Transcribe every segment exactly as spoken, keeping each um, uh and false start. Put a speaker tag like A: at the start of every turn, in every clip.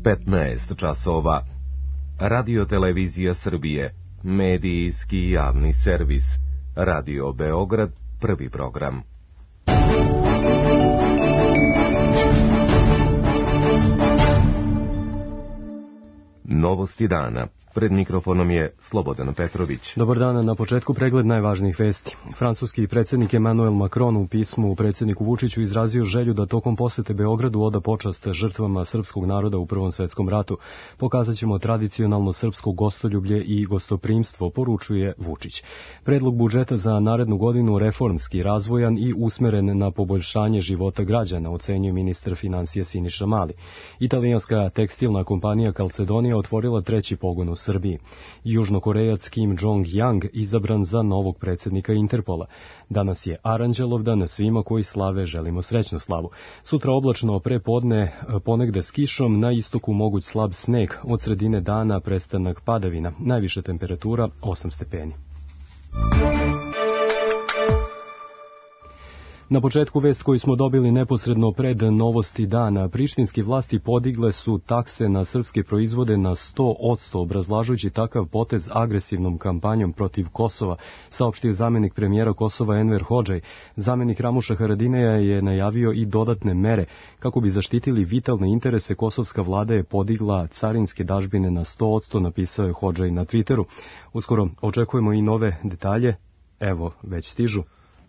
A: petnaest časova. Radio Televizija Srbije, medijski javni servis. Radio Beograd, prvi program. Novosti dana. Pred mikrofonom je Slobodan Petrović.
B: Dobar dan, na početku pregled najvažnijih vesti. Francuski predsjednik Emmanuel Macron u pismu predsjedniku Vučiću izrazio želju da tokom posete Beogradu oda počast žrtvama srpskog naroda u Prvom svjetskom ratu. Pokazat ćemo tradicionalno srpsko gostoljublje i gostoprimstvo, poručuje Vučić. Predlog budžeta za narednu godinu reformski, razvojan i usmeren na poboljšanje života građana, ocenjuje ministar financija Siniša Mali. Italijanska tekstilna kompanija Calzedonia otvorila treći pogon u Srbiji. Južnokorejac Kim Jong-yang izabran za novog predsjednika Interpola. Danas je Aranđelovdan, svima koji slave želimo srećnu slavu. Sutra oblačno pre podne, ponegde s kišom, na istoku moguć slab sneg, od sredine dana prestanak padavina, najviša temperatura osam stepeni. Na početku vest koju smo dobili neposredno pred novosti dana, prištinski vlasti podigle su takse na srpske proizvode na sto posto, obrazlažujući takav potez agresivnom kampanjom protiv Kosova, saopštio zamjenik premijera Kosova Enver Hodžaj. Zamjenik Ramuša Haradinaja je najavio i dodatne mere. Kako bi zaštitili vitalne interese, kosovska vlada je podigla carinske dažbine na sto posto, napisao je Hodžaj na Twitteru. Uskoro očekujemo i nove detalje. Evo, već stižu.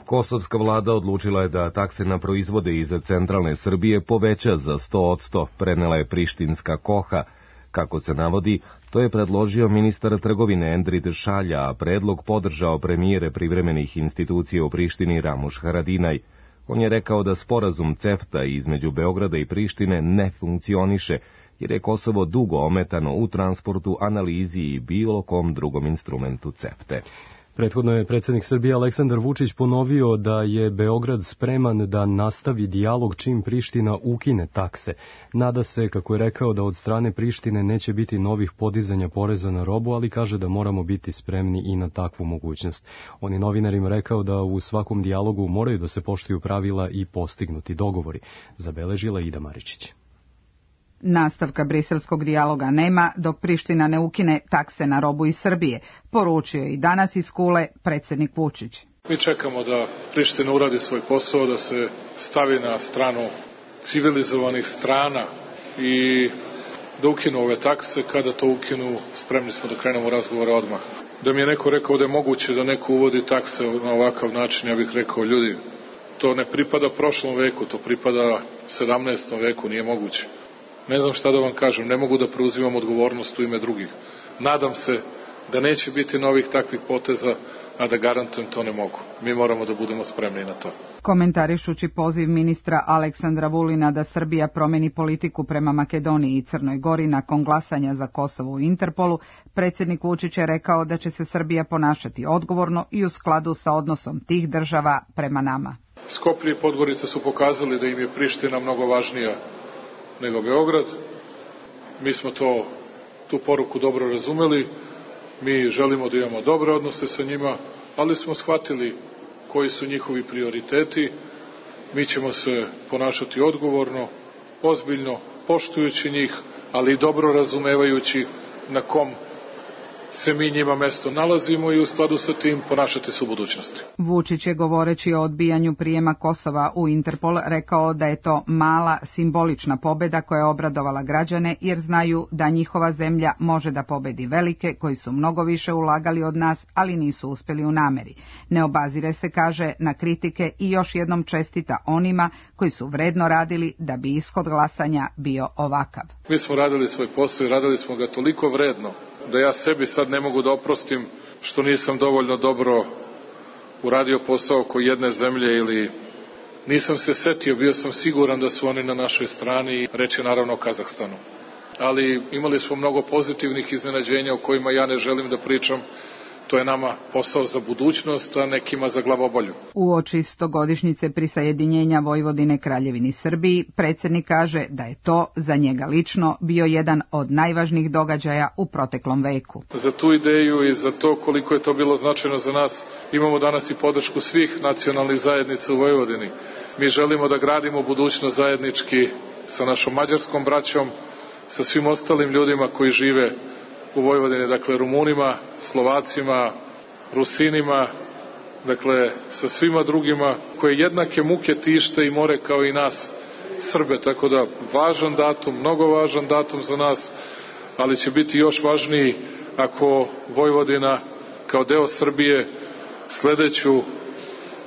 A: Kosovska vlada odlučila je da takse na proizvode iz centralne Srbije poveća za sto posto, prenela je prištinska Koha. Kako se navodi, to je predložio ministar trgovine Endrid Šalja, a predlog podržao premijere privremenih institucija u Prištini Ramuš Haradinaj. On je rekao da sporazum CEFTA između Beograda i Prištine ne funkcioniše, jer je Kosovo dugo ometano u transportu, analizi i bilo kom drugom instrumentu CEFTE.
B: Prethodno je predsjednik Srbije Aleksandar Vučić ponovio da je Beograd spreman da nastavi dijalog čim Priština ukine takse. Nada se, kako je rekao, da od strane Prištine neće biti novih podizanja poreza na robu, ali kaže da moramo biti spremni i na takvu mogućnost. On je novinarima rekao da u svakom dijalogu moraju da se poštuju pravila i postignuti dogovori, zabeležila Ida Maričić.
C: Nastavka briselskog dijaloga nema dok Priština ne ukine takse na robu iz Srbije, poručio je i danas iz Kule predsjednik Vučić.
D: Mi čekamo da Priština uradi svoj posao, da se stavi na stranu civilizovanih strana i da ukinu ove takse. Kada to ukinu, spremni smo da krenemo razgovore odmah. Da mi je neko rekao da je moguće da neko uvodi takse na ovakav način, ja bih rekao, ljudi, to ne pripada prošlom veku, to pripada sedamnaestom veku, nije moguće. Ne znam šta da vam kažem, ne mogu da preuzimam odgovornost u ime drugih. Nadam se da neće biti novih takvih poteza, a da garantujem to ne mogu. Mi moramo da budemo spremni na to.
C: Komentarišući poziv ministra Aleksandra Vulina da Srbija promeni politiku prema Makedoniji i Crnoj Gori nakon glasanja za Kosovo u Interpolu, predsjednik Vučić je rekao da će se Srbija ponašati odgovorno i u skladu sa odnosom tih država prema nama.
D: Skoplje i Podgorica su pokazali da im je Priština mnogo važnija nego Beograd. Mi smo to, tu poruku dobro razumeli, mi želimo da imamo dobre odnose sa njima, ali smo shvatili koji su njihovi prioriteti. Mi ćemo se ponašati odgovorno, ozbiljno, poštujući njih, ali i dobro razumevajući na kom se mi njima mesto nalazimo i u skladu sa tim ponašati se u budućnosti.
C: Vučić je, govoreći o odbijanju prijema Kosova u Interpol, rekao da je to mala simbolična pobjeda koja je obradovala građane, jer znaju da njihova zemlja može da pobedi velike koji su mnogo više ulagali od nas, ali nisu uspjeli u nameri. Ne obazire se, kaže, na kritike i još jednom čestita onima koji su vredno radili da bi ishod glasanja bio ovakav.
D: Mi smo radili svoj posao i radili smo ga toliko vredno da ja sebi sad ne mogu da oprostim što nisam dovoljno dobro uradio posao oko jedne zemlje ili nisam se setio, bio sam siguran da su oni na našoj strani i reč je naravno o Kazahstanu. Ali imali smo mnogo pozitivnih iznenađenja o kojima ja ne želim da pričam. To je nama posao za budućnost, a nekima za glavobolju.
C: Uoči stogodišnjice prisajedinjenja Vojvodine Kraljevini Srbiji, predsjednik kaže da je to za njega lično bio jedan od najvažnijih događaja u proteklom veku.
D: Za tu ideju i za to koliko je to bilo značajno za nas, imamo danas i podršku svih nacionalnih zajednica u Vojvodini. Mi želimo da gradimo budućnost zajednički sa našom mađarskom braćom, sa svim ostalim ljudima koji žive u Vojvodini, dakle Rumunima, Slovacima, Rusinima, dakle sa svima drugima koje jednake muke tište i more kao i nas Srbe, tako da važan datum, mnogo važan datum za nas, ali će biti još važniji ako Vojvodina kao deo Srbije sledeću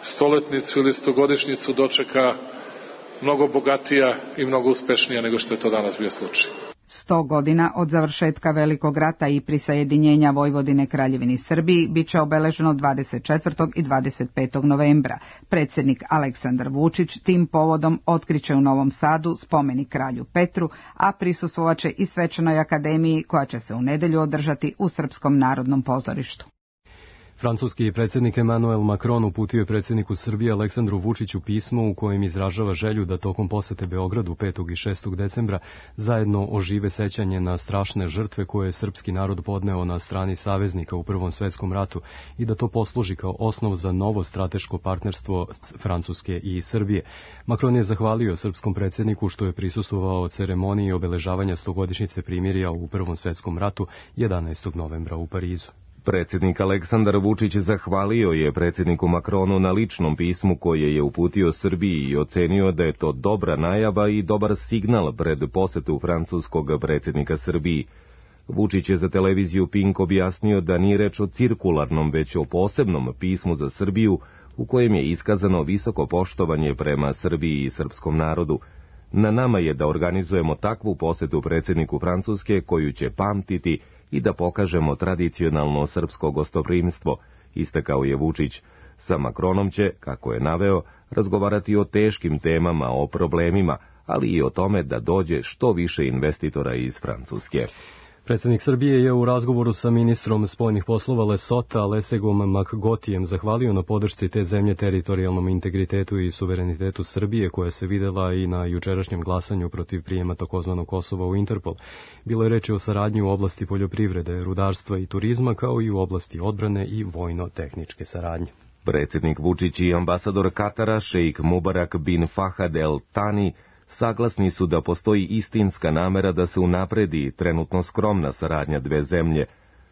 D: stoletnicu ili stogodišnjicu dočeka mnogo bogatija i mnogo uspešnija nego što je to danas bio slučaj.
C: Sto godina od završetka Velikog rata i prisajedinjenja Vojvodine Kraljevini Srbiji biće obeleženo dvadeset četvrtog i dvadeset petog novembra. Predsjednik Aleksandar Vučić tim povodom otkriće u Novom Sadu spomenik kralju Petru, a prisustvovaće i svečanoj akademiji koja će se u nedjelju održati u Srpskom narodnom pozorištu.
B: Francuski predsjednik Emmanuel Macron uputio je predsjedniku Srbije Aleksandru Vučiću pismo u kojem izražava želju da tokom posete Beogradu petog i šestog decembra zajedno ožive sećanje na strašne žrtve koje je srpski narod podneo na strani saveznika u Prvom svetskom ratu i da to posluži kao osnov za novo strateško partnerstvo Francuske i Srbije. Macron je zahvalio srpskom predsjedniku što je prisustvovao ceremoniji obeležavanja stogodišnjice primirja u Prvom svetskom ratu jedanaestog novembra u Parizu.
A: Predsjednik Aleksandar Vučić zahvalio je predsjedniku Macronu na ličnom pismu koje je uputio Srbiji i ocenio da je to dobra najava i dobar signal pred posetu francuskog predsjednika Srbiji. Vučić je za televiziju Pink objasnio da nije reč o cirkularnom, već o posebnom pismu za Srbiju u kojem je iskazano visoko poštovanje prema Srbiji i srpskom narodu. Na nama je da organizujemo takvu posetu predsjedniku Francuske koju će pamtiti i da pokažemo tradicionalno srpsko gostoprimstvo, istakao je Vučić. Sa Macronom će, kako je naveo, razgovarati o teškim temama, o problemima, ali i o tome da dođe što više investitora iz Francuske.
B: Predsjednik Srbije je u razgovoru sa ministrom spoljnih poslova Lesota Lesegom Makgotijem zahvalio na podršci te zemlje teritorijalnom integritetu i suverenitetu Srbije, koja se videla i na jučerašnjem glasanju protiv prijema takozvanog Kosova u Interpol. Bilo je reči o saradnji u oblasti poljoprivrede, rudarstva i turizma, kao i u oblasti odbrane i vojno-tehničke saradnje.
A: Predsjednik Vučić i ambasador Katara, šejk Mubarak bin Fahad El Tani, saglasni su da postoji istinska namera da se unapredi trenutno skromna saradnja dve zemlje.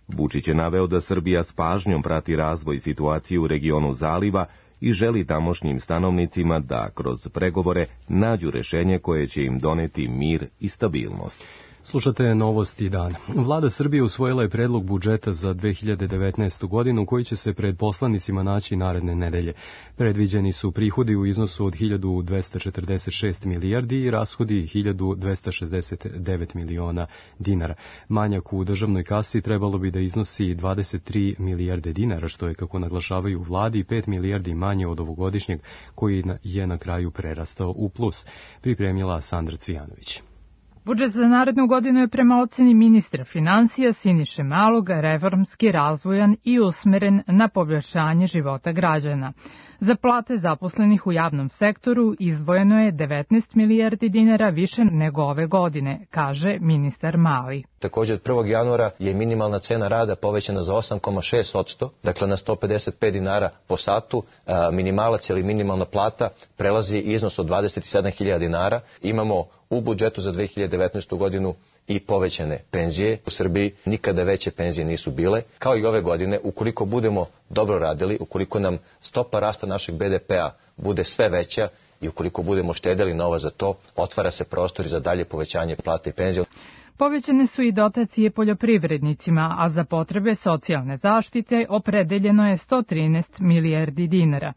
A: Vučić je naveo da Srbija s pažnjom prati razvoj situacije u regionu Zaliva i želi tamošnjim stanovnicima da kroz pregovore nađu rešenje koje će im doneti mir i stabilnost.
B: Slušate Novosti dana. Vlada Srbije usvojila je predlog budžeta za dve hiljade devetnaestu. godinu koji će se pred poslanicima naći naredne nedelje. Predviđeni su prihodi u iznosu od hiljadu dvesta četrdeset šest milijardi i rashodi hiljadu dvesta šezdeset devet miliona dinara. Manjak u državnoj kasi trebalo bi da iznosi dvadeset tri milijarde dinara, što je, kako naglašavaju u vladi, pet milijardi manje od ovogodišnjeg, koji je na kraju prerastao u plus. Pripremila Sandra Cvijanović.
E: Budžet za narednu godinu je prema oceni ministra financija Siniše Malog reformski, razvojan i usmeren na poboljšanje života građana. Za plate zaposlenih u javnom sektoru izdvojeno je devetnaest milijardi dinara više nego ove godine, kaže ministar Mali.
F: Također od prvog januara je minimalna cena rada povećana za osam zarez šest posto, dakle na sto pedeset pet dinara po satu, minimalac ili minimalna plata prelazi iznos od dvadeset sedam hiljada dinara. Imamo u budžetu za dve hiljade devetnaestu. godinu i povećane penzije. U Srbiji nikada veće penzije nisu bile. Kao i ove godine, ukoliko budemo dobro radili, ukoliko nam stopa rasta našeg be de pea bude sve veća i ukoliko budemo štedeli novac za to, otvara se prostor za dalje povećanje plata i penzija.
E: Povećane su i dotacije poljoprivrednicima, a za potrebe socijalne zaštite opredeljeno je sto trinaest milijardi dinara.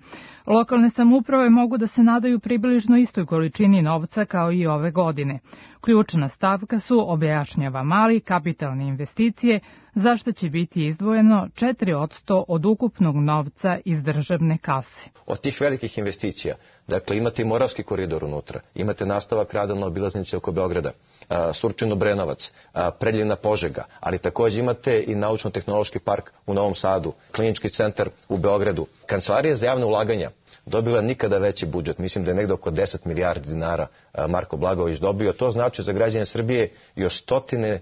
E: Lokalne samouprave mogu da se nadaju približno istoj količini novca kao i ove godine. Ključna stavka su, objašnjava Mali, kapitalne investicije, za što će biti izdvojeno četiri posto od ukupnog novca iz državne kase.
F: Od tih velikih investicija, dakle imate i Moravski koridor unutra, imate nastavak rada na obilaznici oko Beograda, Surčin-Obrenovac, Preljina-Požega, ali također imate i naučno-tehnološki park u Novom Sadu, klinički centar u Beogradu. Kancelarija za javne ulaganja dobila nikada veći budžet, mislim da je negde oko deset milijardi dinara Marko Blagojević dobio. To znači za građane Srbije još stotine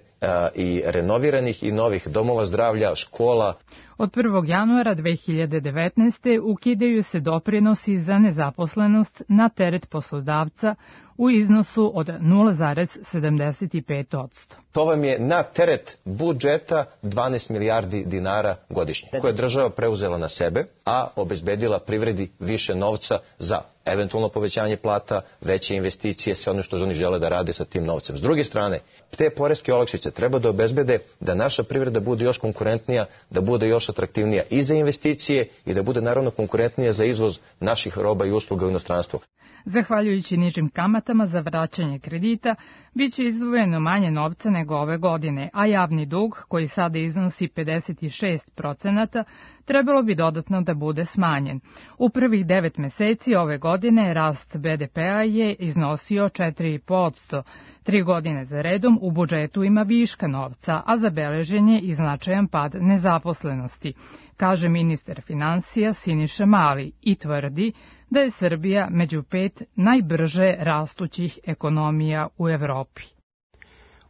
F: i renoviranih i novih domova zdravlja, škola.
E: Od prvog januara dve hiljade devetnaeste. ukidaju se doprinosi za nezaposlenost na teret poslodavca u iznosu od nula zarez sedamdeset pet posto.
F: To vam je na teret budžeta dvanaest milijardi dinara godišnje, koje je država preuzela na sebe, a obezbedila privredi više novca za eventualno povećanje plata, veće investicije, sve ono što oni žele da rade sa tim novcem. S druge strane, te poreske olakšice treba da obezbede da naša privreda bude još konkurentnija, da bude još atraktivnija i za investicije i da bude naravno konkurentnija za izvoz naših roba i usluga u inostranstvo.
E: Zahvaljujući nižim kamatama za vraćanje kredita, bit će izdvojeno manje novca nego ove godine, a javni dug, koji sada iznosi pedeset šest procenata, trebalo bi dodatno da bude smanjen. U prvih devet meseci ove godine rast be de pea je iznosio četiri zarez pet posto. Tri godine za redom u budžetu ima viška novca, a zabeležen je i značajan pad nezaposlenosti, kaže ministar finansija Siniša Mali i tvrdi da je Srbija među pet najbrže rastućih ekonomija u Evropi.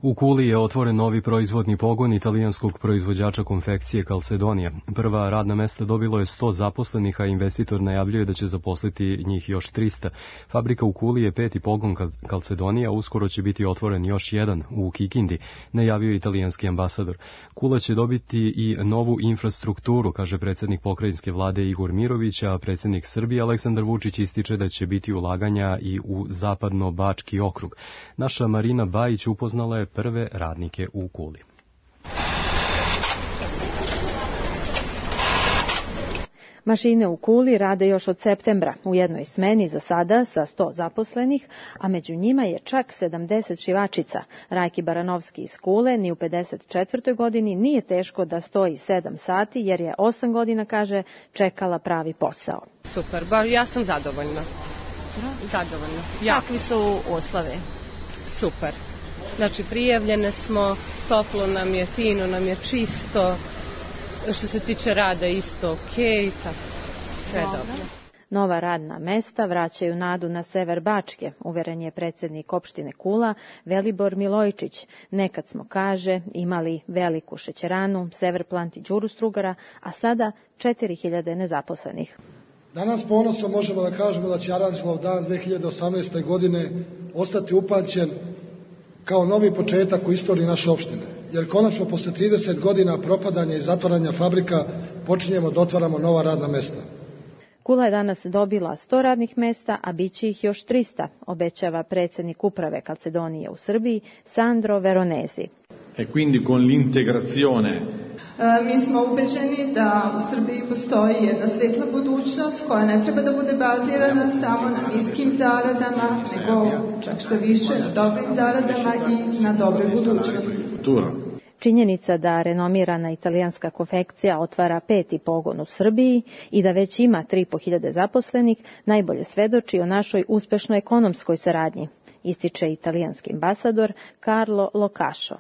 B: U Kuli je otvoren novi proizvodni pogon italijanskog proizvođača konfekcije Calzedonia. Prva radna mesta dobilo je sto zaposlenih, a investitor najavljuje da će zaposliti njih još trista. Fabrika u Kuli je peti pogon Calzedonia, uskoro će biti otvoren još jedan u Kikindi, najavio italijanski ambasador. Kula će dobiti i novu infrastrukturu, kaže predsjednik pokrajinske vlade Igor Mirović, a predsjednik Srbije Aleksandar Vučić ističe da će biti ulaganja i u zapadno-bački okrug. Naša Marina Bajić upoznala je prve radnike u Kuli.
G: Mašine u Kuli rade još od septembra, u jednoj smeni za sada sa sto zaposlenih, a među njima je čak sedamdeset šivačica. Rajki Baranovski iz Kule ni u pedeset četvrtoj godini nije teško da stoji sedam sati, jer je osam godina, kaže, čekala pravi posao.
H: Super, ba, ja sam zadovoljna. Zadovoljna.
G: Kakvi su uslove?
H: Super. Znači, prijavljene smo, toplo nam je, fino nam je, čisto, što se tiče rada isto okej, tako, sve dobro.
G: Nova radna mesta vraćaju nadu na sever Bačke, uveren je predsjednik opštine Kula Velibor Milojičić. Nekad smo, kaže, imali veliku šećeranu, Severplant i Đuru Strugara, a sada četiri hiljade nezaposlenih.
I: Danas ponosom možemo da kažemo da će Aranđelov dan dve hiljade osamnaeste. godine ostati upamćen kao novi početak u istoriji naše opštine, jer konačno posle trideset godina propadanja i zatvaranja fabrika počinjemo da otvaramo nova radna mesta.
G: Kula je danas dobila sto radnih mesta, a bit će ih još trista, obećava predsjednik uprave Calzedonije u Srbiji Sandro Veronesi.
J: E quindi con l'integrazione
K: Mi smo ubeđeni da u Srbiji postoji jedna svetla budućnost koja ne treba da bude bazirana samo na niskim zaradama, nego čak što više na dobrim zaradama i na dobroj budućnosti.
G: Činjenica da renomirana italijanska konfekcija otvara peti pogon u Srbiji i da već ima tri i po hiljade zaposlenih najbolje svedoči o našoj uspešnoj ekonomskoj saradnji, ističe italijanski ambasador Carlo Locašo.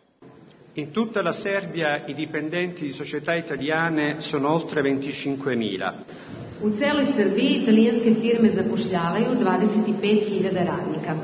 L: In tutta la Serbia i dipendenti di società italiane sono oltre venticinquemila.
M: U celoj Srbiji italijanske firme zapošljavaju dvadeset pet hiljada radnika.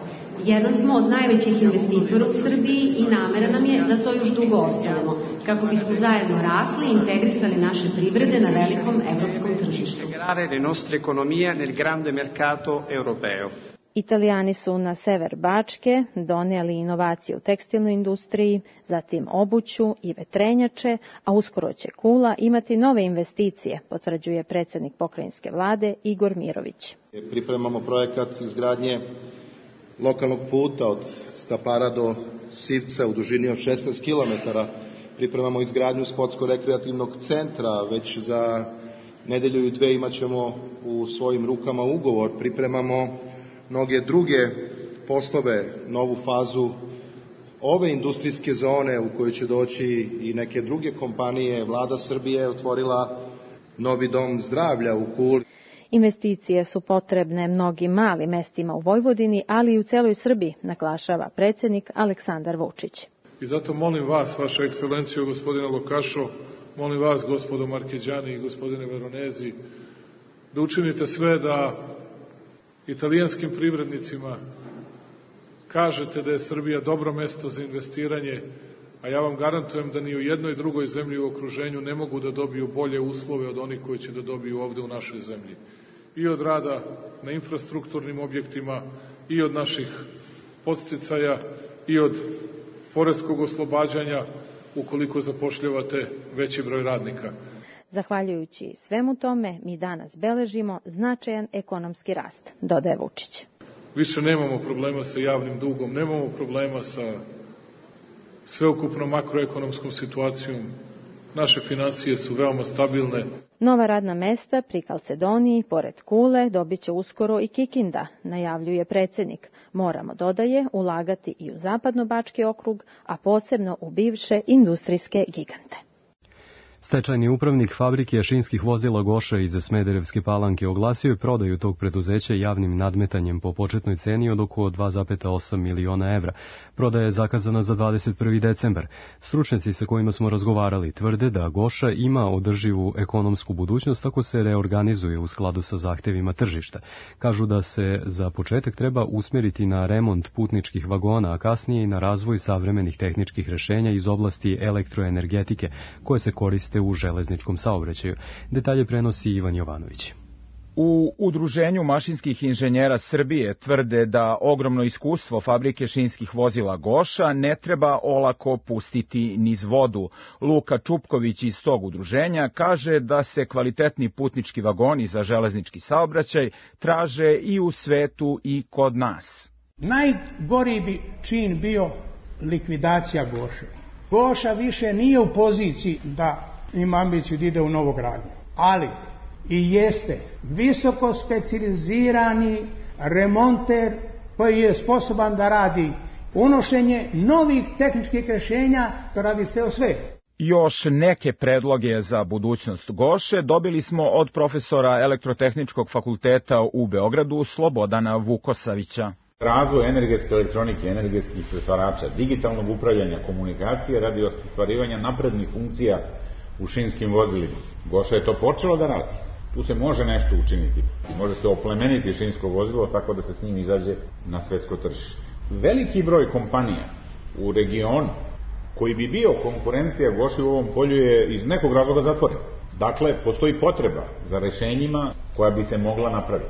M: Jedan smo od najvećih investitora u Srbiji i namera nam je da to još dugo ostanemo, kako bismo zajedno rasli i integrisali naše privrede na velikom evropskom tržištu.
L: Integrare le nostre economie nel grande mercato europeo.
G: Italijani su na sever Bačke donijeli inovacije u tekstilnoj industriji, zatim obuću i vetrenjače, a uskoro će Kula imati nove investicije, potvrđuje predsjednik pokrajinske vlade Igor Mirović.
N: Pripremamo projekat izgradnje lokalnog puta od Stapara do Sivca u dužini od šesnaest kilometara. Pripremamo izgradnju sportsko-rekreativnog centra, već za nedelju i dve imat ćemo u svojim rukama ugovor. Pripremamo mnoge druge poslove, novu fazu ove industrijske zone u kojoj će doći i neke druge kompanije. Vlada Srbije je otvorila novi dom zdravlja u Kuli.
G: Investicije su potrebne mnogim malim mestima u Vojvodini, ali i u celoj Srbiji, naglašava predsjednik Aleksandar Vučić.
D: I zato molim vas, vaša ekscelencijo, gospodine Lokašo, molim vas, gospodo Markeđani i gospodine Veronezi, da učinite sve da italijanskim privrednicima kažete da je Srbija dobro mesto za investiranje, a ja vam garantujem da ni u jednoj drugoj zemlji u okruženju ne mogu da dobiju bolje uslove od onih koji će da dobiju ovde u našoj zemlji. I od rada na infrastrukturnim objektima, i od naših podsticaja, i od poreskog oslobađanja ukoliko zapošljavate veći broj radnika.
G: Zahvaljujući svemu tome, mi danas beležimo značajan ekonomski rast, dodaje Vučić.
D: Više nemamo problema sa javnim dugom, nemamo problema sa sveukupnom makroekonomskom situacijom. Naše finansije su veoma stabilne.
G: Nova radna mesta pri Kalcedoniji, pored Kule, dobit će uskoro i Kikinda, najavljuje predsednik. Moramo, dodaje, ulagati i u Zapadno-Bački okrug, a posebno u bivše industrijske gigante.
B: Stečajni upravnik fabrike šinskih vozila Goša iz Smederevske Palanke oglasio je prodaju tog preduzeća javnim nadmetanjem po početnoj ceni od oko dva zarez osam miliona evra. Prodaja je zakazana za dvadeset prvi decembar. Stručnjaci sa kojima smo razgovarali tvrde da Goša ima održivu ekonomsku budućnost ako se reorganizuje u skladu sa zahtevima tržišta. Kažu da se za početak treba usmeriti na remont putničkih vagona, a kasnije i na razvoj savremenih tehničkih rešenja iz oblasti elektroenergetike koje se koriste u železničkom saobraćaju. Detalje prenosi Ivan Jovanović.
O: U Udruženju mašinskih inženjera Srbije tvrde da ogromno iskustvo fabrike šinskih vozila Goša ne treba olako pustiti niz vodu. Luka Čupković iz tog udruženja kaže da se kvalitetni putnički vagoni za železnički saobraćaj traže i u svetu i kod nas.
P: Najgori bi čin bio likvidacija Goše. Goša više nije u poziciji da ima ambiciju da ide u novogradnju, ali i jeste visoko specijalizirani remonter koji je sposoban da radi unošenje novih tehničkih rešenja, to radi ceo svet.
O: Još neke predloge za budućnost Goše dobili smo od profesora Elektrotehničkog fakulteta u Beogradu Slobodana Vukosavića.
Q: Razvoj energetske elektronike, energetskih pretvarača, digitalnog upravljanja, komunikacije radi ostvarivanja naprednih funkcija u šinskim vozilima. Goša je to počelo da radi. Tu se može nešto učiniti. Može se oplemeniti šinsko vozilo tako da se s njim izađe na svetsko tržište. Veliki broj kompanija u regionu koji bi bio konkurencija Goši u ovom polju je iz nekog razloga zatvoren. Dakle, postoji potreba za rešenjima koja bi se mogla napraviti.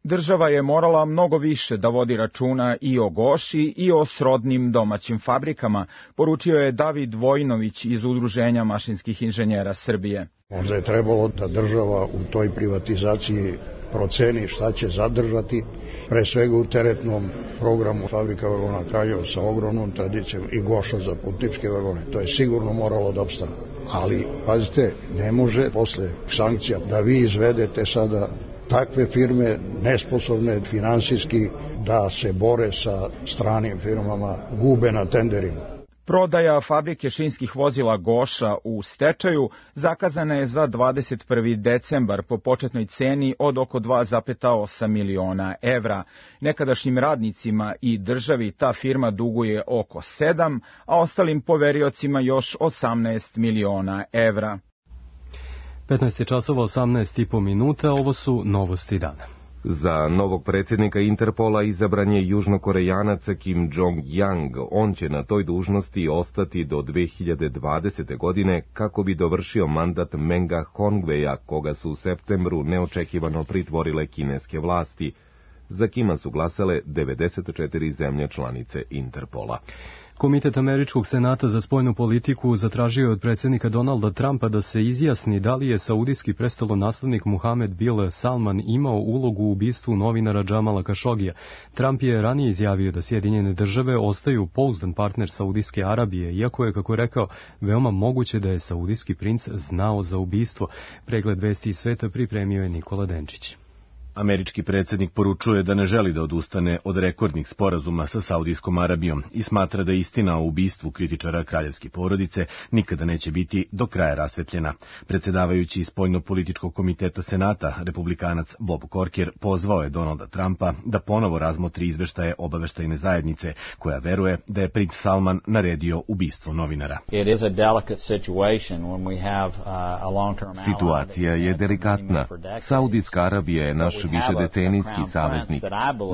O: Država je morala mnogo više da vodi računa i o Goši i o srodnim domaćim fabrikama, poručio je David Vojinović iz Udruženja mašinskih inženjera Srbije.
R: Možda je trebalo da država u toj privatizaciji proceni šta će zadržati, pre svega u teretnom programu fabrika vagona Kraljevo sa ogromnom tradicijom i Goša za putničke vagone. To je sigurno moralo da opstane. Ali, pazite, ne može posle sankcija da vi izvedete sada takve firme nesposobne finansijski da se bore sa stranim firmama, gube na tenderima.
O: Prodaja fabrike šinskih vozila Goša u stečaju zakazana je za dvadeset prvi decembar po početnoj ceni od oko dva zarez osam miliona evra. Nekadašnjim radnicima i državi ta firma duguje oko sedam, a ostalim poveriocima još osamnaest miliona evra.
B: petnaest časova osamnaest i po minuta, ovo su novosti dana.
A: Za novog predsjednika Interpola izabran je južnokorejanac Kim Jong-yang. On će na toj dužnosti ostati do dve hiljade dvadesete. godine kako bi dovršio mandat Menga Hongveja, koga su u septembru neočekivano pritvorile kineske vlasti. Za Kima su glasale devedeset četiri zemlje članice Interpola.
B: Komitet Američkog senata za spoljnu politiku zatražio je od predsjednika Donalda Trumpa da se izjasni da li je saudijski prestolonaslednik Muhamed bin Salman imao ulogu u ubistvu novinara Džamala Kašogija. Trump je ranije izjavio da Sjedinjene države ostaju pouzdan partner Saudijske Arabije, iako je, kako rekao, veoma moguće da je saudijski princ znao za ubistvo. Pregled vesti iz sveta pripremio je Nikola Denčić.
S: Američki predsjednik poručuje da ne želi da odustane od rekordnih sporazuma sa Saudijskom Arabijom i smatra da istina o ubistvu kritičara kraljevske porodice nikada neće biti do kraja rasvetljena. Predsjedavajući spoljno-političkog komiteta Senata, republikanac Bob Corker pozvao je Donalda Trumpa da ponovo razmotri izveštaje obaveštajne zajednice, koja veruje da je princ Salman naredio ubistvo novinara.
A: Situacija je delikatna. Saudijska Arabija je naš višedecenijski saveznik.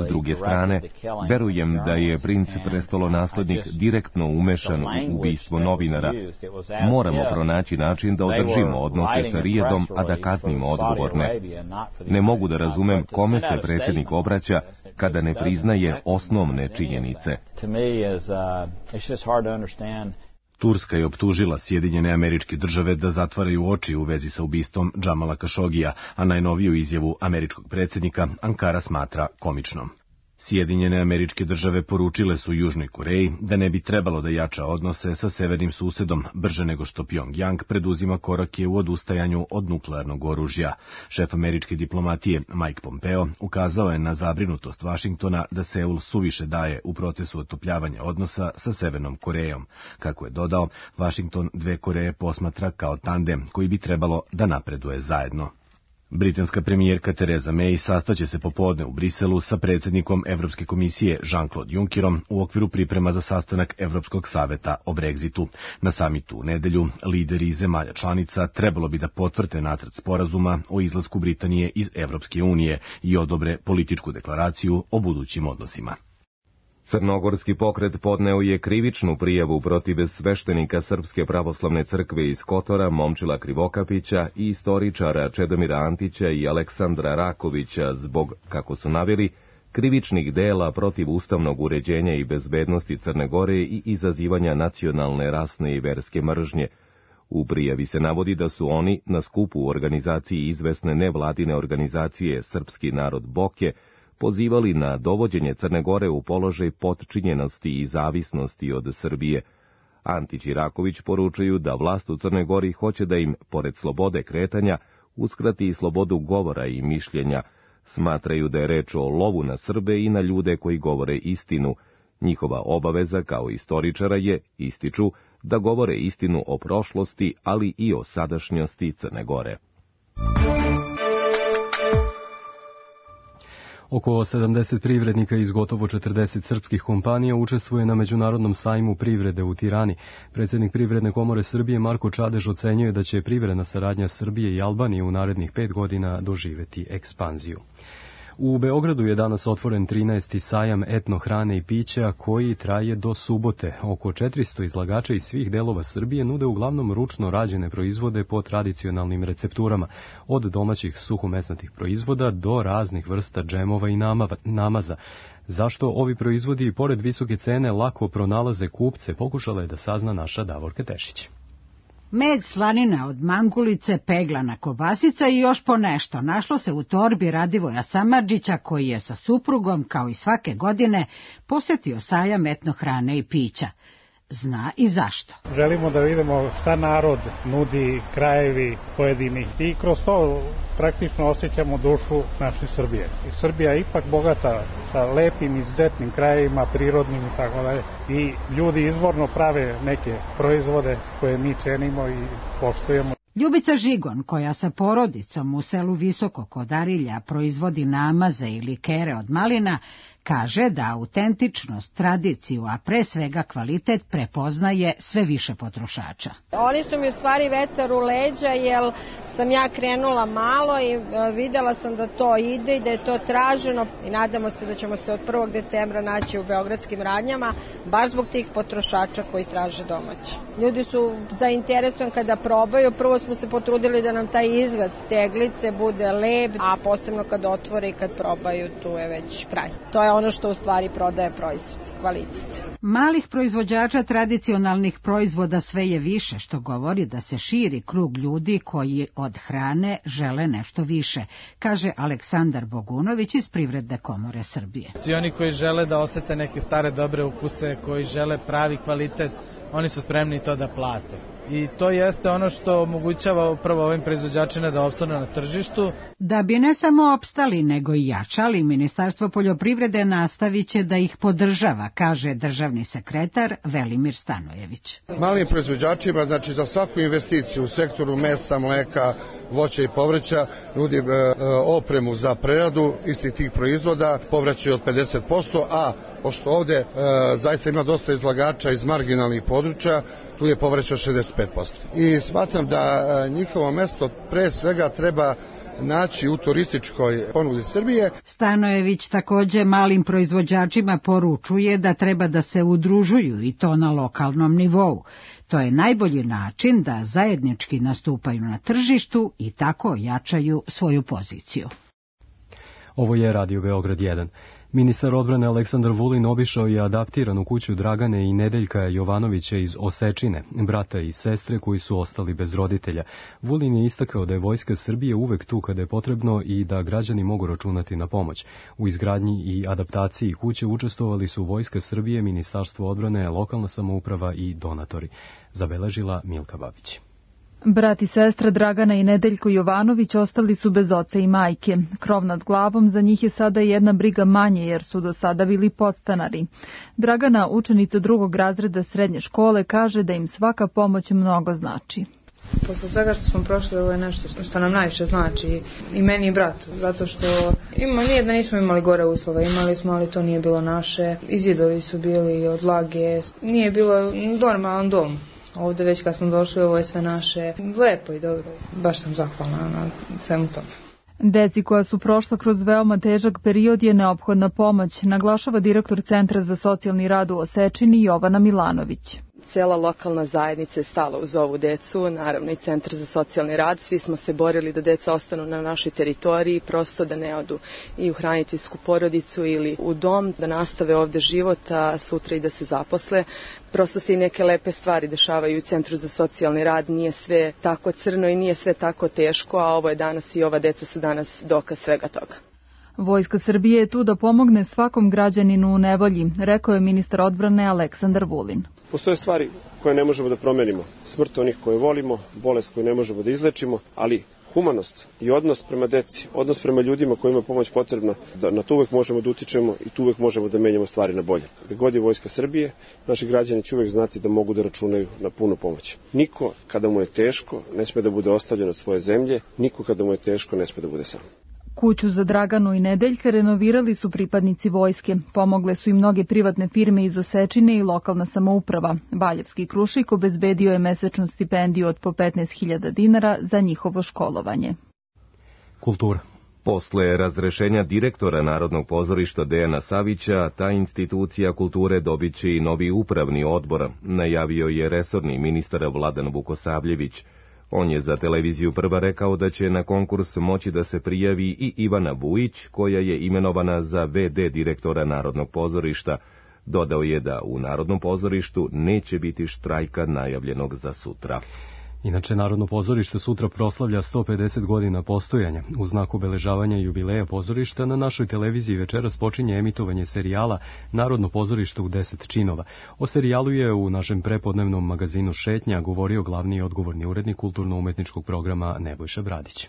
A: S druge strane, verujem da je princ prestolonaslednik direktno umešan u ubistvo novinara. Moramo pronaći način da održimo odnose sa Rijadom, a da kaznimo odgovorne. Ne mogu da razumem kome se predsjednik obraća kada ne priznaje osnovne činjenice.
S: Turska je optužila Sjedinjene Američke Države da zatvaraju oči u vezi sa ubistvom Džamala Kašogija, a najnoviju izjavu američkog predsjednika Ankara smatra komičnom. Sjedinjene Američke Države poručile su Južnoj Koreji da ne bi trebalo da jača odnose sa severnim susedom brže nego što Pjongjang preduzima korake u odustajanju od nuklearnog oružja. Šef američke diplomatije Mike Pompeo ukazao je na zabrinutost Vašingtona da Seul suviše daje u procesu otopljavanja odnosa sa Severnom Korejom. Kako je dodao, Vašington dve Koreje posmatra kao tandem koji bi trebalo da napreduje zajedno. Britanska premijerka Theresa May sastaće se popodne u Briselu sa predsjednikom Evropske komisije Jean-Claude Junckerom u okviru priprema za sastanak Evropskog saveta o Brexitu. Na samitu u nedelju lideri zemalja članica trebalo bi da potvrde nacrt sporazuma o izlasku Britanije iz Evropske unije i odobre političku deklaraciju o budućim odnosima.
A: Crnogorski pokret podneo je krivičnu prijavu protiv sveštenika Srpske pravoslavne crkve iz Kotora, Momčila Krivokapića i istoričara Čedomira Antića i Aleksandra Rakovića zbog, kako su naveli, krivičnih dela protiv ustavnog uređenja i bezbednosti Crne Gore i izazivanja nacionalne, rasne i verske mržnje. U prijavi se navodi da su oni na skupu u organizaciji izvesne nevladine organizacije Srpski narod Boke pozivali na dovođenje Crne Gore u položaj potčinjenosti i zavisnosti od Srbije. Antić i Raković poručuju da vlast u Crnoj Gori hoće da im, pored slobode kretanja, uskrati i slobodu govora i mišljenja. Smatraju da je reč o lovu na Srbe i na ljude koji govore istinu. Njihova obaveza kao istoričara je, ističu, da govore istinu o prošlosti, ali i o sadašnjosti Crne Gore.
B: Oko sedamdeset privrednika iz gotovo četrdeset srpskih kompanija učestvuje na Međunarodnom sajmu privrede u Tirani. Predsjednik Privredne komore Srbije Marko Čadež ocenjuje da će privredna saradnja Srbije i Albanije u narednih pet godina doživeti ekspanziju. U Beogradu je danas otvoren trinaesti sajam etno hrane i pića koji traje do subote. Oko četiristo izlagača iz svih delova Srbije nude uglavnom ručno rađene proizvode po tradicionalnim recepturama, od domaćih suhomesnatih proizvoda do raznih vrsta džemova i namaza. Zašto ovi proizvodi, pored visoke cene, lako pronalaze kupce, pokušala je da sazna naša Davorka Tešić.
T: Med, slanina od mangulice, peglana kobasica i još po nešto našlo se u torbi Radivoja Samardžića, koji je sa suprugom, kao i svake godine, posjetio sajam etno hrane i pića. Zna i zašto.
P: Želimo da vidimo šta narod nudi, krajevi pojedinih i kroz to praktično osjećamo dušu naše Srbije. I Srbija je ipak bogata sa lepim, izuzetnim krajevima, prirodnim i tako dalje. I ljudi izvorno prave neke proizvode koje mi cenimo i poštujemo.
T: Ljubica Žigon, koja sa porodicom u selu Visoko kod Arilja proizvodi namaze i likere od malina, kaže da autentičnost, tradiciju, a pre svega kvalitet prepoznaje sve više potrošača.
U: Oni su mi u stvari vetar u leđa, jer sam ja krenula malo i videla sam da to ide i da je to traženo i nadamo se da ćemo se od prvog decembra naći u beogradskim radnjama, baš zbog tih potrošača koji traže domaće. Ljudi su zainteresovani kada probaju, prvo smo se potrudili da nam taj izgled teglice bude lep, a posebno kad otvore i kad probaju, tu je već kraj. To je ono što u stvari prodaje proizvod, kvalitet.
T: Malih proizvođača tradicionalnih proizvoda sve je više, što govori da se širi krug ljudi koji od hrane žele nešto više, kaže Aleksandar Bogunović iz Privredne komore Srbije.
V: Svi oni koji žele da osete neke stare dobre ukuse, koji žele pravi kvalitet, oni su spremni to da plate. I to jeste ono što omogućava upravo ovim proizvođačima da opstanu na tržištu.
T: Da bi ne samo opstali, nego i jačali, Ministarstvo poljoprivrede nastavit će da ih podržava, kaže državni sekretar Velimir Stanojević.
W: Malim proizvođačima, znači za svaku investiciju u sektoru mesa, mleka, voća i povrća, nudi e, opremu za preradu istih tih proizvoda, povraćaj od pedeset posto, a pošto ovde e, zaista ima dosta izlagača iz marginalnih područja, tu je povraćaj od šezdeset pet posto. I smatram da e, njihovo mesto pre svega treba naći u turističkoj ponudi Srbije.
T: Stanojević takođe malim proizvođačima poručuje da treba da se udružuju i to na lokalnom nivou. To je najbolji način da zajednički nastupaju na tržištu i tako jačaju svoju poziciju.
B: Ovo je Radio Beograd jedan. Ministar odbrane Aleksandar Vulin obišao je adaptiranu kuću Dragane i Nedeljka Jovanovića iz Osečine, brata i sestre koji su ostali bez roditelja. Vulin je istakao da je Vojska Srbije uvek tu kada je potrebno i da građani mogu računati na pomoć. U izgradnji i adaptaciji kuće učestvovali su Vojska Srbije, Ministarstvo odbrane, lokalna samouprava i donatori. Zabeležila Milka Babić.
C: Brat i sestra Dragana i Nedeljko Jovanović ostali su bez oca i majke. Krov nad glavom za njih je sada jedna briga manje jer su do sada bili podstanari. Dragana, učenica drugog razreda srednje škole, kaže da im svaka pomoć mnogo znači.
E: Posle svega što smo prošli, ovo je nešto što nam najviše znači i meni i bratu, zato što ima, nije da nismo imali gore uslove, imali smo, ali to nije bilo naše. I zidovi su bili od vlage, nije bilo normalan dom. Ovde već kad smo došli, ovo je sve naše, lepo i dobro. Baš sam zahvalna na svemu tome.
C: Deci koja su prošla kroz veoma težak period je neophodna pomoć, naglašava direktor Centra za socijalni rad u Osečini Jovana Milanović.
F: Cijela lokalna zajednica je stala uz ovu decu, naravno i Centar za socijalni rad. Svi smo se borili da deca ostanu na našoj teritoriji, prosto da ne odu i u hraniteljsku porodicu ili u dom, da nastave ovde život, a sutra i da se zaposle. Prosto se i neke lepe stvari dešavaju u Centru za socijalni rad, nije sve tako crno i nije sve tako teško, a ovo je danas i ova deca su danas dokaz svega toga.
C: Vojska Srbije je tu da pomogne svakom građaninu u nevolji, rekao je ministar odbrane Aleksandar Vulin.
X: Postoje stvari koje ne možemo da promenimo, smrt onih koje volimo, bolest koju ne možemo da izlečimo, ali humanost i odnos prema deci, odnos prema ljudima kojima je pomoć potrebna, da na to uvek možemo da utičemo i tu uvek možemo da menjamo stvari na bolje. Gde god je Vojska Srbije, naši građani će uvek znati da mogu da računaju na punu pomoć. Niko kada mu je teško ne sme da bude ostavljen od svoje zemlje, niko kada mu je teško ne sme da bude sam.
C: Kuću za Draganu i Nedeljka renovirali su pripadnici vojske. Pomogle su i mnoge privatne firme iz Osečine i lokalna samouprava. Valjevski Krušik obezbedio je mesečnu stipendiju od po petnaest hiljada dinara za njihovo školovanje.
B: Kultura.
A: Posle razrešenja direktora Narodnog pozorišta Dejana Savića, ta institucija kulture dobit će i novi upravni odbor, najavio je resorni ministar Vladan Vukosavljević. On je za televiziju Prva rekao da će na konkurs moći da se prijavi i Ivana Vujić, koja je imenovana za ve de direktora Narodnog pozorišta. Dodao je da u Narodnom pozorištu neće biti štrajka najavljenog za sutra.
B: Inače, Narodno pozorište sutra proslavlja sto pedeset godina postojanja. U znak obeležavanja jubileja pozorišta na našoj televiziji večeras počinje emitovanje serijala Narodno pozorište u deset činova. O serijalu je u našem prepodnevnom magazinu Šetnja govorio glavni i odgovorni urednik kulturno-umetničkog programa Nebojša Bradić.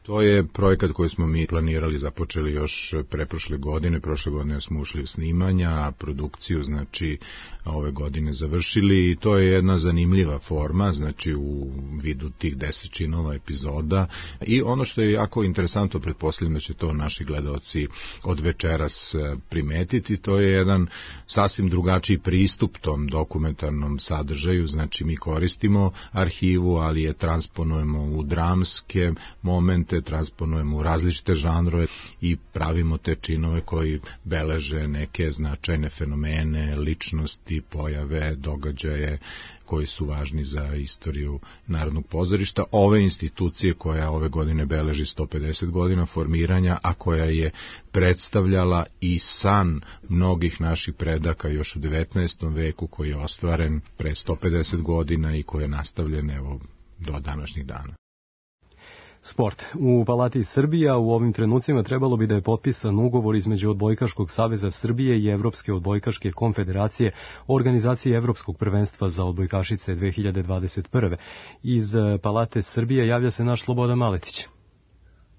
Y: To je projekat koji smo mi planirali, započeli još preprošle godine. Prošle godine smo ušli u snimanja, a produkciju znači ove godine završili i to je jedna zanimljiva forma, znači u vidu tih deset činova epizoda. I ono što je jako interesantno, pretpostavljam da će to naši gledaoci od večeras primetiti, to je jedan sasvim drugačiji pristup tom dokumentarnom sadržaju, znači mi koristimo arhivu, ali je transponujemo u dramske momente, transponujemo u različite žanrove i pravimo te činove koji beleže neke značajne fenomene, ličnosti, pojave, događaje koji su važni za istoriju Narodnog pozorišta. Ove institucije koja ove godine beleži sto pedeset godina formiranja, a koja je predstavljala i san mnogih naših predaka još u devetnaestom veku, koji je ostvaren pre sto pedeset godina i koji je nastavljen evo do današnjih dana.
B: Sport. U Palati Srbija u ovim trenucima trebalo bi da je potpisan ugovor između Odbojkaškog saveza Srbije i Evropske odbojkaške konfederacije o organizaciji Evropskog prvenstva za odbojkašice dve hiljade dvadeset prve. Iz Palate Srbije javlja se naš Slobodan Maletić.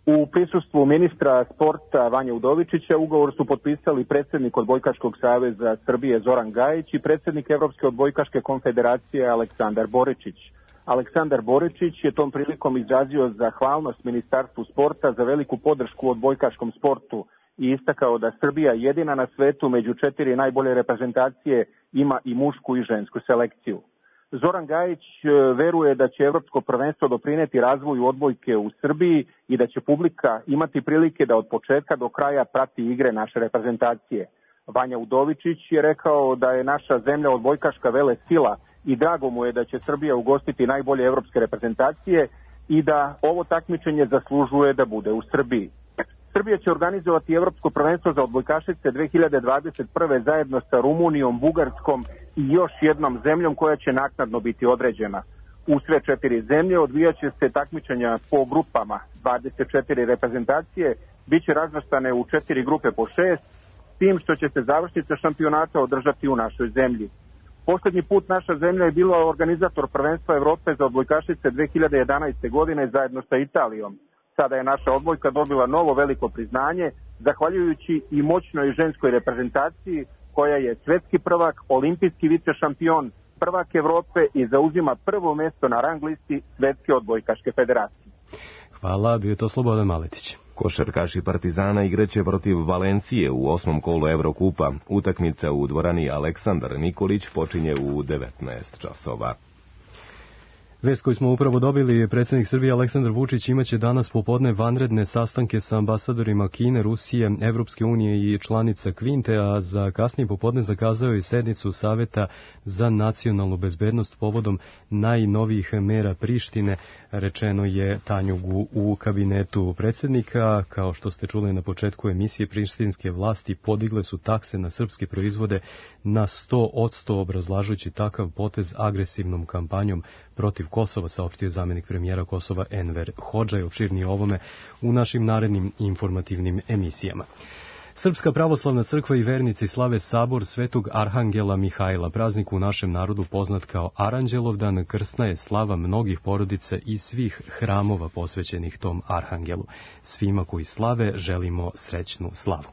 Z: U prisustvu ministra sporta Vanje Udovičića ugovor su potpisali predsjednik Odbojkaškog saveza Srbije Zoran Gajić i predsjednik Evropske odbojkaške konfederacije Aleksandar Boričić. Aleksandar Boričić je tom prilikom izrazio zahvalnost Ministarstvu sporta za veliku podršku odbojkaškom sportu i istakao da Srbija jedina na svetu među četiri najbolje reprezentacije ima i mušku i žensku selekciju. Zoran Gajić veruje da će evropsko prvenstvo doprineti razvoju odbojke u Srbiji i da će publika imati prilike da od početka do kraja prati igre naše reprezentacije. Vanja Udovičić je rekao da je naša zemlja odbojkaška vele sila i drago mu je da će Srbija ugostiti najbolje evropske reprezentacije i da ovo takmičenje zaslužuje da bude u Srbiji. Srbija će organizovati evropsko prvenstvo za odbojkašice dve hiljade dvadeset prve zajedno sa Rumunijom, Bugarskom i još jednom zemljom koja će naknadno biti određena. U sve četiri zemlje odvijaće se takmičenja po grupama. dvadeset četiri reprezentacije biće razvrstane u četiri grupe po šest, s tim što će se završnica šampionata održati u našoj zemlji. Poslednji put naša zemlja je bila organizator prvenstva Evrope za odbojkašice dve hiljade jedanaeste. godine zajedno sa Italijom. Sada je naša odbojka dobila novo veliko priznanje, zahvaljujući i moćnoj ženskoj reprezentaciji koja je svetski prvak, olimpijski vicešampion, prvak Evrope i zauzima prvo mesto na rang listi Svetske odbojkaške federacije.
B: Hvala, bio je to Slobodan Maletić.
A: Košarkaši Partizana igraće protiv Valencije u osmom kolu Evrokupa. Utakmica u dvorani Aleksandar Nikolić počinje u devetnaest časova.
B: Vest koju smo upravo dobili, predsjednik Srbije Aleksandar Vučić imaće danas popodne vanredne sastanke sa ambasadorima Kine, Rusije, Evropske unije i članica Kvinte, a za kasnije popodne zakazao je sednicu Saveta za nacionalnu bezbednost povodom najnovijih mera Prištine, rečeno je Tanjugu u kabinetu predsjednika. Kao što ste čuli na početku emisije, prištinske vlasti podigle su takse na srpske proizvode na sto posto, obrazlažući takav potez agresivnom kampanjom protiv Kosova, saopštio zamjenik premijera Kosova Enver Hodža. Je opširnije ovome u našim narednim informativnim emisijama. Srpska pravoslavna crkva i vernici slave sabor Svetog Arhangela Mihajla, praznik u našem narodu poznat kao Aranđelovdan. Krsna je slava mnogih porodica i svih hramova posvećenih tom Arhangelu. Svima koji slave želimo srećnu slavu.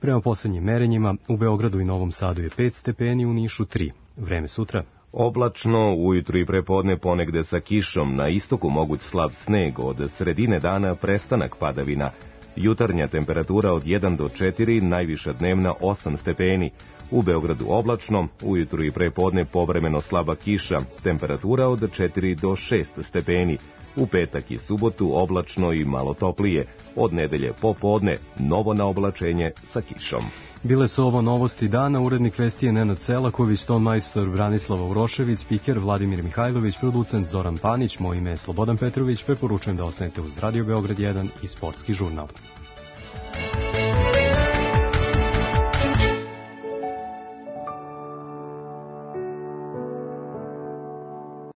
B: Prema posljednjim merenjima, u Beogradu i Novom Sadu je pet stepeni, u Nišu tri. Vreme sutra.
A: Oblačno, ujutru i prepodne ponegde sa kišom, na istoku moguć slab sneg, od sredine dana prestanak padavina. Jutarnja temperatura od jedan do četiri, najviša dnevna osam stepeni. U Beogradu oblačno, ujutru i prepodne povremeno slaba kiša, temperatura od četiri do šest stepeni. U petak i subotu oblačno i malo toplije. Od nedelje popodne novo naoblačenje sa kišom.
B: Bile su ovo novosti dana, urednik vesti je Nenad Selaković, ton majstor Branislava Urošević, spiker Vladimir Mihajlović, producent Zoran Panić, moje ime je Slobodan Petrović, preporučujem da ostanete uz Radio Beograd jedan i Sportski žurnal.